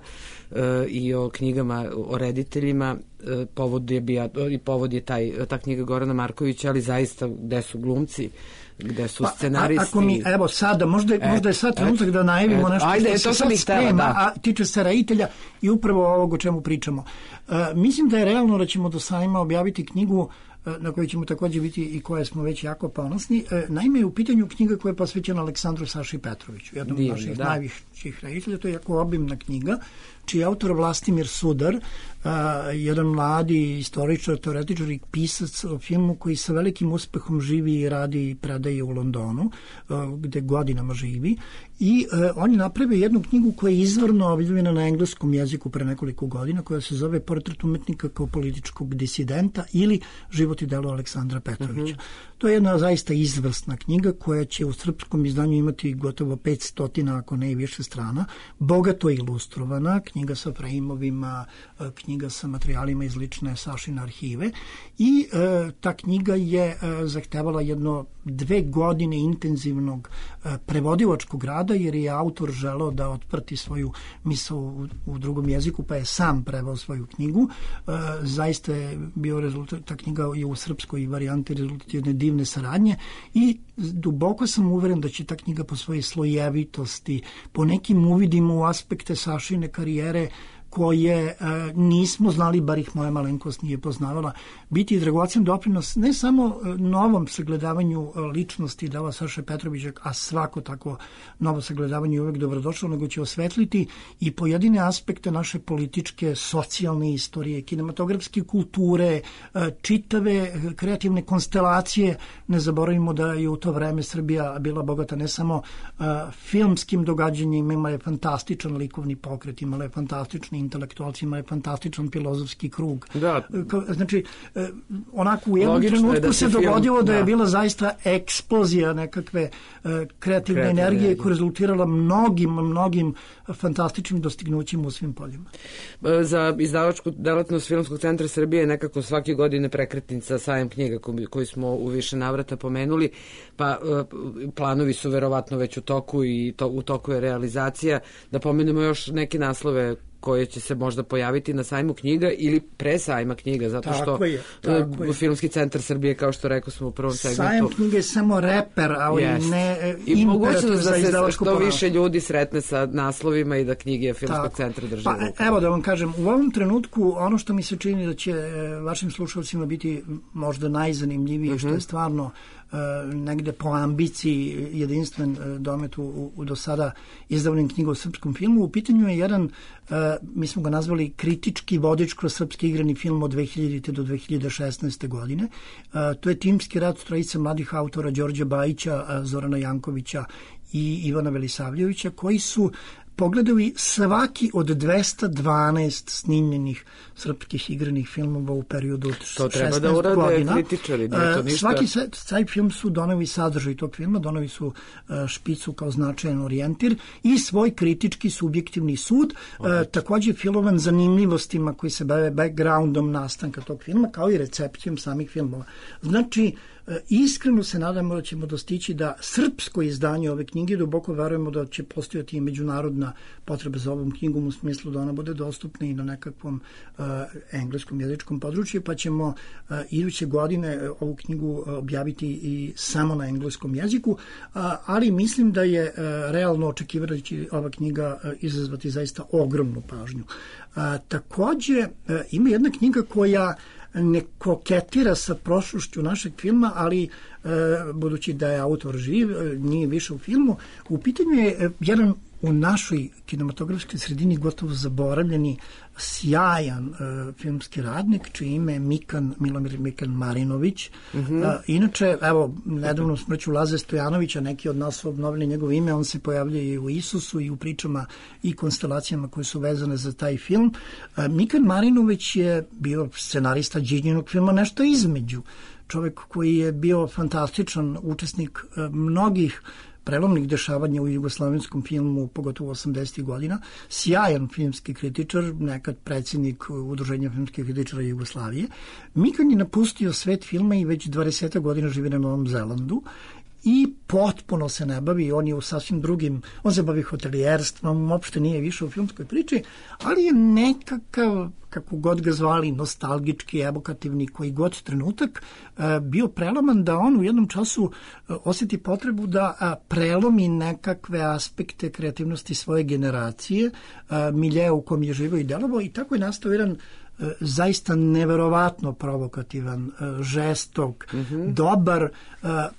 [SPEAKER 1] e, i o knjigama o rediteljima. E, povod je bio, i povod je taj, ta knjiga Gorana Markovića, ali zaista gde su glumci, gde su pa, scenaristi.
[SPEAKER 4] Ako mi, evo sada, možda,
[SPEAKER 1] et,
[SPEAKER 4] možda je sad trenutak da najavimo et, nešto
[SPEAKER 1] ajde,
[SPEAKER 4] što
[SPEAKER 1] to
[SPEAKER 4] se sad sprema, da. a tiče se reditelja i upravo ovog o čemu pričamo. Uh, mislim da je realno da ćemo do sajma objaviti knjigu na kojoj ćemo također biti i koje smo već jako ponosni. Naime, je u pitanju knjiga koja je posvećena Aleksandru Saši Petroviću, jednom od naših da. najviših reditelja. To je jako obimna knjiga, čiji je autor Vlastimir Sudar, uh, jedan mladi istoričar, teoretičar i pisac o filmu koji sa velikim uspehom živi i radi i predaje u Londonu, uh, gde godinama živi. I uh, on je napravio jednu knjigu koja je izvorno objavljena na engleskom jeziku pre nekoliko godina, koja se zove Portret umetnika kao političkog disidenta ili Život i delo Aleksandra Petrovića. Mm-hmm. To je jedna zaista izvrsna knjiga koja će u srpskom izdanju imati gotovo petsto, ako ne i više strana, bogato ilustrovana, knjiga sa frejmovima, knjiga sa materijalima iz lične Sašine arhive i e, ta knjiga je e, zahtevala jedno dve godine intenzivnog e, prevodilačkog rada, jer je autor želeo da otprati svoju misao u, u drugom jeziku, pa je sam preveo svoju knjigu. E, zaista je bio rezultat, ta knjiga je u srpskoj varijanti rezultat jedne divne saradnje i duboko sam uveren da će ta knjiga po svojoj slojevitosti, po nekim uvidima u aspekte Sašine karijere koje nismo znali, bar ih moja malenkost nije poznavala, biti dragocen doprinos ne samo novom sagledavanju ličnosti Dela Saše Petrovića, a svako tako novo sagledavanje je uvek dobrodošlo, nego će osvetliti i pojedine aspekte naše političke, socijalne istorije, kinematografske kulture, čitave kreativne konstelacije. Ne zaboravimo da je u to vreme Srbija bila bogata ne samo filmskim događanjima, imala je fantastičan likovni pokret, imala je fantastični intelektualci, imala je fantastičan filozofski krug.
[SPEAKER 1] Da.
[SPEAKER 4] Znači, onako u jednom
[SPEAKER 1] Logično
[SPEAKER 4] trenutku
[SPEAKER 1] da
[SPEAKER 4] se
[SPEAKER 1] film,
[SPEAKER 4] dogodilo da
[SPEAKER 1] da.
[SPEAKER 4] je bila zaista eksplozija nekakve uh, kreativne energije, energije koja je rezultirala mnogim, mnogim fantastičnim dostignućima u svim poljima.
[SPEAKER 1] Za izdavačku delatnost Filmskog centra Srbije nekako svake godine prekretnica sajam knjiga koji smo u više navrata pomenuli, pa uh, planovi su verovatno već u toku i to, u toku je realizacija. Da pomenemo još neke naslove koje će se možda pojaviti na sajmu knjiga ili pre sajma knjiga, zato što
[SPEAKER 4] tako je, tako je.
[SPEAKER 1] Filmski centar Srbije, kao što rekao smo u prvom segmentu...
[SPEAKER 4] Sajam knjiga je samo reper, ali
[SPEAKER 1] yes.
[SPEAKER 4] ne
[SPEAKER 1] i
[SPEAKER 4] imperativ za izdavačku
[SPEAKER 1] da se što
[SPEAKER 4] ponašu.
[SPEAKER 1] više ljudi sretne sa naslovima i da knjige Filmskog
[SPEAKER 4] tako.
[SPEAKER 1] centra drže
[SPEAKER 4] pa,
[SPEAKER 1] u rukama.
[SPEAKER 4] Evo da vam kažem, u ovom trenutku ono što mi se čini da će vašim slušalcima biti možda najzanimljivije, uh-huh. što je stvarno Uh, negde po ambiciji jedinstven uh, domet u, u, u do sada izdavljenim knjiga o srpskom filmu. U pitanju je jedan, uh, mi smo ga nazvali kritički vodič kroz srpski igrani film od dve hiljadite do dve hiljade šesnaeste. godine. Uh, to je timski rad trojice mladih autora Đorđa Bajića, uh, Zorana Jankovića i Ivana Velisavljevića, koji su pogledali svaki od dvesta dvanaest snimljenih srpskih igranih filmova u periodu od šesnaest godina.
[SPEAKER 1] To treba da urade kritičari, nije to ništa.
[SPEAKER 4] Svaki taj film su doneli sadržaj tog filma, doneli su špicu kao značajan orijentir i svoj kritički subjektivni sud, okay. takođe filovan zanimljivostima koji se bave backgroundom nastanka tog filma, kao i recepcijom samih filmova. Znači, iskreno se nadamo da ćemo dostići da srpsko izdanje ove knjige, duboko verujemo da će postojati i međunarodna potreba za ovom knjigom u smislu da ona bude dostupna i na nekakvom uh, engleskom jezičkom području, pa ćemo uh, iduće godine ovu knjigu objaviti i samo na engleskom jeziku, uh, ali mislim da je uh, realno očekivati da će ova knjiga uh, izazvati zaista ogromnu pažnju. Uh, takođe, uh, ima jedna knjiga koja ne koketira sa prošlošću našeg filma, ali e, budući da je autor živ, e, nije više u filmu, u pitanju je e, jedan u našoj kinematografskoj sredini gotovo zaboravljeni, sjajan e, filmski radnik, čije ime je Mikan, Milomir Mikan Marinović. Mm-hmm. E, inače, evo, nedavno smrću Laze Stojanovića, neki od nas su obnovili njegovo ime, on se pojavlja i u Isusu i u pričama i konstelacijama koje su vezane za taj film. E, Mikan Marinović je bio scenarista Điđinog filma Nešto između. Čovjek koji je bio fantastičan učesnik e, mnogih prelomnih dešavanja u jugoslavenskom filmu, pogotovo osamdesetih godina, sjajan filmski kritičar, nekad predsjednik Udruženja filmskih kritičara Jugoslavije. Mikan je napustio svet filma i već dvadeset godina živi na Novom Zelandu i potpuno se ne bavi, on je u sasvim drugim, on se bavi hotelijerstvom, uopšte nije više u filmskoj priči, ali je nekakav, kako god ga zvali, nostalgički, evokativni, koji god trenutak, bio preloman da on u jednom času osjeti potrebu da prelomi nekakve aspekte kreativnosti svoje generacije, miljeja u kom je živio i delovao, i tako je nastao jedan zaista neverovatno provokativan, žestok, mm-hmm. dobar,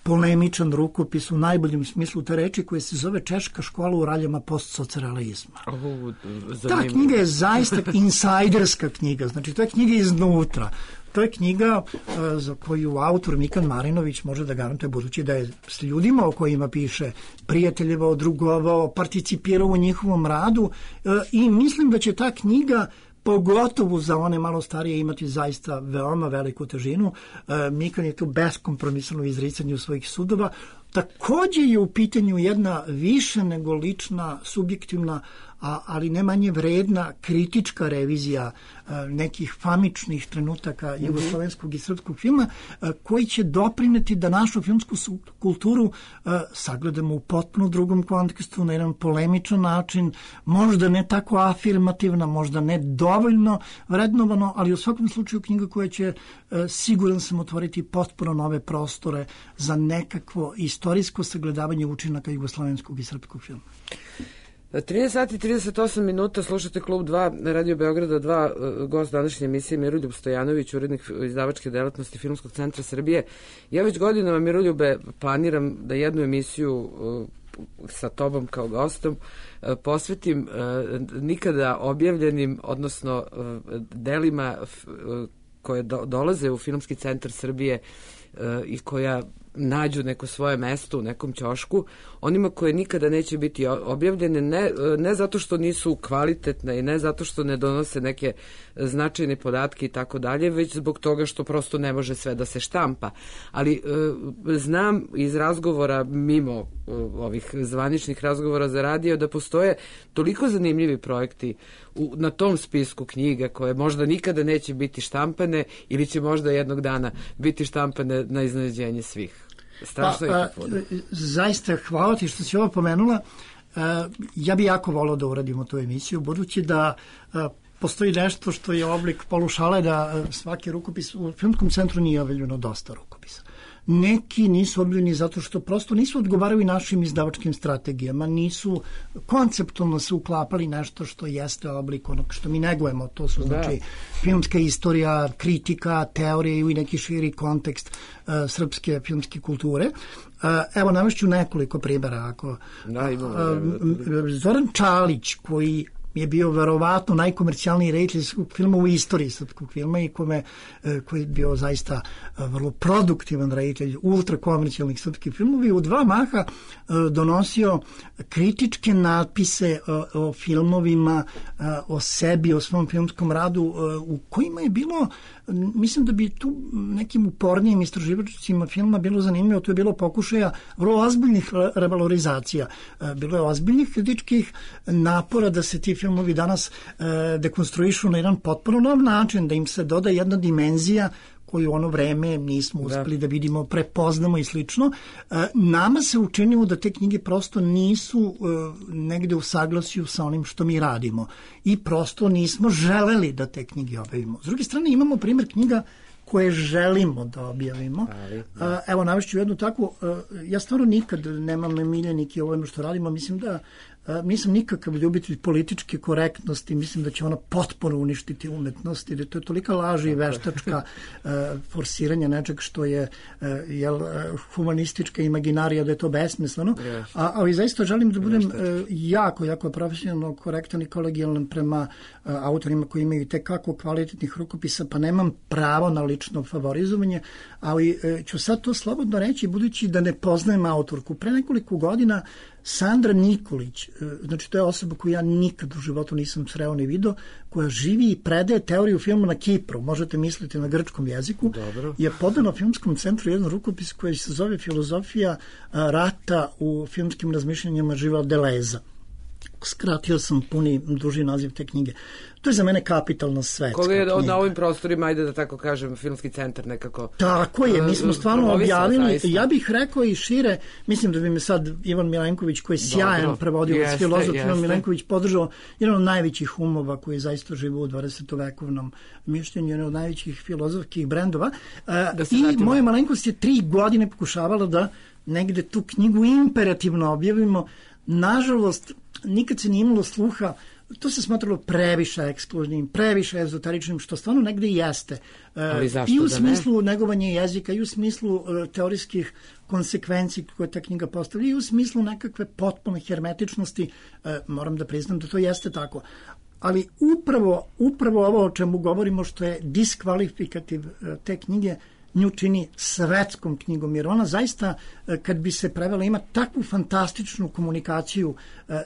[SPEAKER 4] polemičan rukopis u najboljem smislu te reči, koja se zove Češka škola u raljama postsocrealizma.
[SPEAKER 1] Oh,
[SPEAKER 4] Ta knjiga je zaista insajderska knjiga, znači to je knjiga iznutra. To je knjiga uh, za koju autor Mikan Marinović može da garantuje, budući da je s ljudima o kojima piše prijateljevao, drugovao, participirao u njihovom radu, uh, i mislim da će ta knjiga pogotovo za one malo starije imati zaista veoma veliku težinu. E, Mikan je tu beskompromisno u izricanju svojih sudova. Takođe je u pitanju jedna više nego lična, subjektivna, a, ali ne manje vredna kritička revizija a, nekih famičnih trenutaka mm-hmm. jugoslovenskog i srpskog filma, a, koji će doprineti da našu filmsku kulturu a, sagledamo u potpuno drugom kontekstu, na jedan polemičan način, možda ne tako afirmativna, možda ne dovoljno vrednovano, ali u svakom slučaju knjiga koja će, a, siguran sam, otvoriti potpuno nove prostore za nekakvo istorijsko sagledavanje učinaka jugoslovenskog i srpskog filma.
[SPEAKER 1] trinaest sati i trideset osam minuta, slušate Klub dva, Radio Beograda dva, gost današnje emisije Miroljub Stojanović, urednik izdavačke delatnosti Filmskog centra Srbije. Ja već godinama, Miroljube, planiram da jednu emisiju sa tobom kao gostom posvetim nikada objavljenim, odnosno delima koje do, dolaze u Filmski centar Srbije i koja nađu neko svoje mesto u nekom ćošku, onima koje nikada neće biti objavljene, ne, ne zato što nisu kvalitetne i ne zato što ne donose neke značajne podatke i tako dalje, već zbog toga što prosto ne može sve da se štampa. Ali e, znam iz razgovora mimo e, ovih zvaničnih razgovora za radio da postoje toliko zanimljivi projekti u, na tom spisku knjiga koje možda nikada neće biti štampane ili će možda jednog dana biti štampane na iznenađenje svih. Strašno pa,
[SPEAKER 4] a, zaista hvala ti što si ovo pomenula. A, ja bi jako volao da uradimo tu emisiju, budući da a, postoji nešto što je oblik polušale, da a, svaki rukopis u Filmskom centru nije objavljeno dosta rukopisa. Neki nisu objavljeni zato što prosto nisu odgovarali našim izdavačkim strategijama, nisu konceptualno se uklapali nešto što jeste oblik onog što mi negujemo, to su znači da. Filmska istorija, kritika, teorija i neki širi kontekst uh, srpske filmske kulture. Uh, evo, navešću nekoliko primjera. Ako,
[SPEAKER 1] da, imamo,
[SPEAKER 4] uh, Zoran Čalić, koji je bio verovatno najkomercijalniji reditelj filma u istoriji srpskog filma i kome, koji je bio zaista vrlo produktivan reditelj ultrakomercijalnih srpskih filmova i u dva maha donosio kritičke natpise o, o filmovima, o sebi, o svom filmskom radu u kojima je bilo, mislim da bi tu nekim upornijim istraživačima filma bilo zanimljivo, to je bilo pokušaja vrlo ozbiljnih revalorizacija, bilo je ozbiljnih kritičkih napora da se ti filmovi danas e, dekonstruišu na jedan potpuno nov način, da im se doda jedna dimenzija koju u ono vreme nismo uspeli da, da vidimo, prepoznamo i slično. E, nama se učinilo da te knjige prosto nisu e, negde u saglasju sa onim što mi radimo i prosto nismo želeli da te knjige objavimo. S druge strane imamo primjer knjiga koje želimo da objavimo. Ali, da. Evo, navešću jednu takvu, ja stvarno nikad nemam miljenike u ovome što radimo, mislim da nisam nikakav ljubitelj političke korektnosti, mislim da će ona potpuno uništiti umetnost, jer to je tolika laž i veštačka forsiranja nečeg što je jel, humanistička imaginarija, da je to besmisleno. Yes. A, ali zaista želim da budem Veštački. jako, jako profesionalno korektan i kolegijalan prema autorima koji imaju tekako kvalitetnih rukopisa, pa nemam pravo na lično favorizovanje, ali ću sad to slobodno reći, budući da ne poznajem autorku. Pre nekoliko godina Sandra Nikolić, znači to je osoba koju ja nikad u životu nisam sreo ni video, koja živi i predaje teoriju filma na Kipru, možete misliti na grčkom jeziku, Dobro. je podano Filmskom centru jedan rukopis koji se zove Filozofija rata u filmskim razmišljanjima Živa Deleza. Skratio sam puni duži naziv te knjige. To je za mene kapitalna svetska
[SPEAKER 1] Koga je
[SPEAKER 4] knjiga.
[SPEAKER 1] Na ovim prostorima, ajde da tako kažem, Filmski centar nekako...
[SPEAKER 4] Tako je, mi smo stvarno objavili, zaista. Ja bih rekao i šire, mislim da bi me sad Ivan Milenković, koji je sjajan prevodilac, filozof Ivan Milenković, podržao jedan od najvećih umova koji zaista žive u dvadesetovekovnom mišljenju, jedan od najvećih filozofskih brendova. I moja malenkost je tri godine pokušavala da negde tu knjigu imperativno objavimo. Nažalost, nikad se nije imalo sluha, to se smatralo previše ekskluzivnim, previše ezoteričnim, što stvarno negde i jeste. I u smislu negovanja jezika, i u smislu teorijskih konsekvenci koje ta knjiga postavlja, i u smislu nekakve potpune hermetičnosti, moram da priznam da to jeste tako. Ali upravo, upravo ovo o čemu govorimo, što je diskvalifikativ te knjige, nju čini svetskom knjigom, jer ona zaista, kad bi se prevela, ima takvu fantastičnu komunikaciju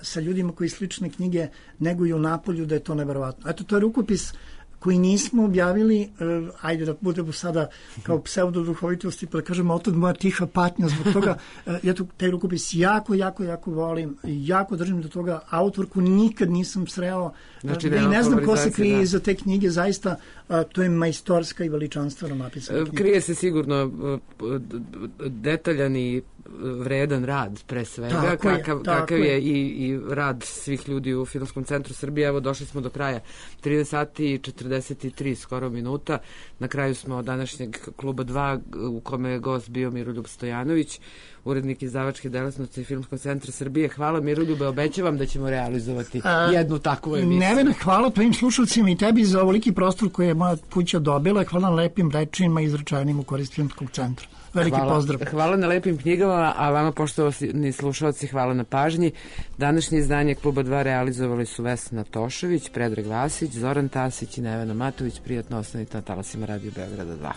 [SPEAKER 4] sa ljudima koji slične knjige neguju napolju, da je to neverovatno. Eto, to je rukopis koji nismo objavili, ajde da budemo sada kao pseudoduhovitosti, pa da kažemo, otad moja tiha patnja zbog toga. Ja tu taj rukopis jako, jako, jako volim, jako držim do toga. Autorku nikad nisam sreo, znači, da i ne znam ko se krije iza te knjige, zaista to je majstorska i veličanstveno napisana knjiga.
[SPEAKER 1] Krije se sigurno detaljan i vredan rad, pre svega, tako kakav, je, kakav je, je i, i rad svih ljudi u Filmskom centru Srbije. Evo, došli smo do kraja, trinaest sati i četrdeset tri skoro minuta. Na kraju smo današnjeg Kluba dva, u kome je gost bio Miroljub Stojanović, urednik izdavačke delatnosti Filmskog centra Srbije. Hvala Miroljube, obećavam da ćemo realizovati A, jednu takvu emisiju.
[SPEAKER 4] Nevena, hvala tvojim slušalcima i tebi za ovoliki prostor koji je moja kuća dobila. Hvala na lepim rečima izrečenim u korist Filmskog centra. Veliki
[SPEAKER 1] hvala,
[SPEAKER 4] pozdrav.
[SPEAKER 1] Hvala na lepim knjigama, a vama poštovani slušalci, hvala na pažnji. Današnje izdanje Kluba dva realizovali su Vesna Tošović, Predrag Vasić, Zoran Tasić i Nevena Matović. Prijatno ostanite na talasima Radio Beograda dva.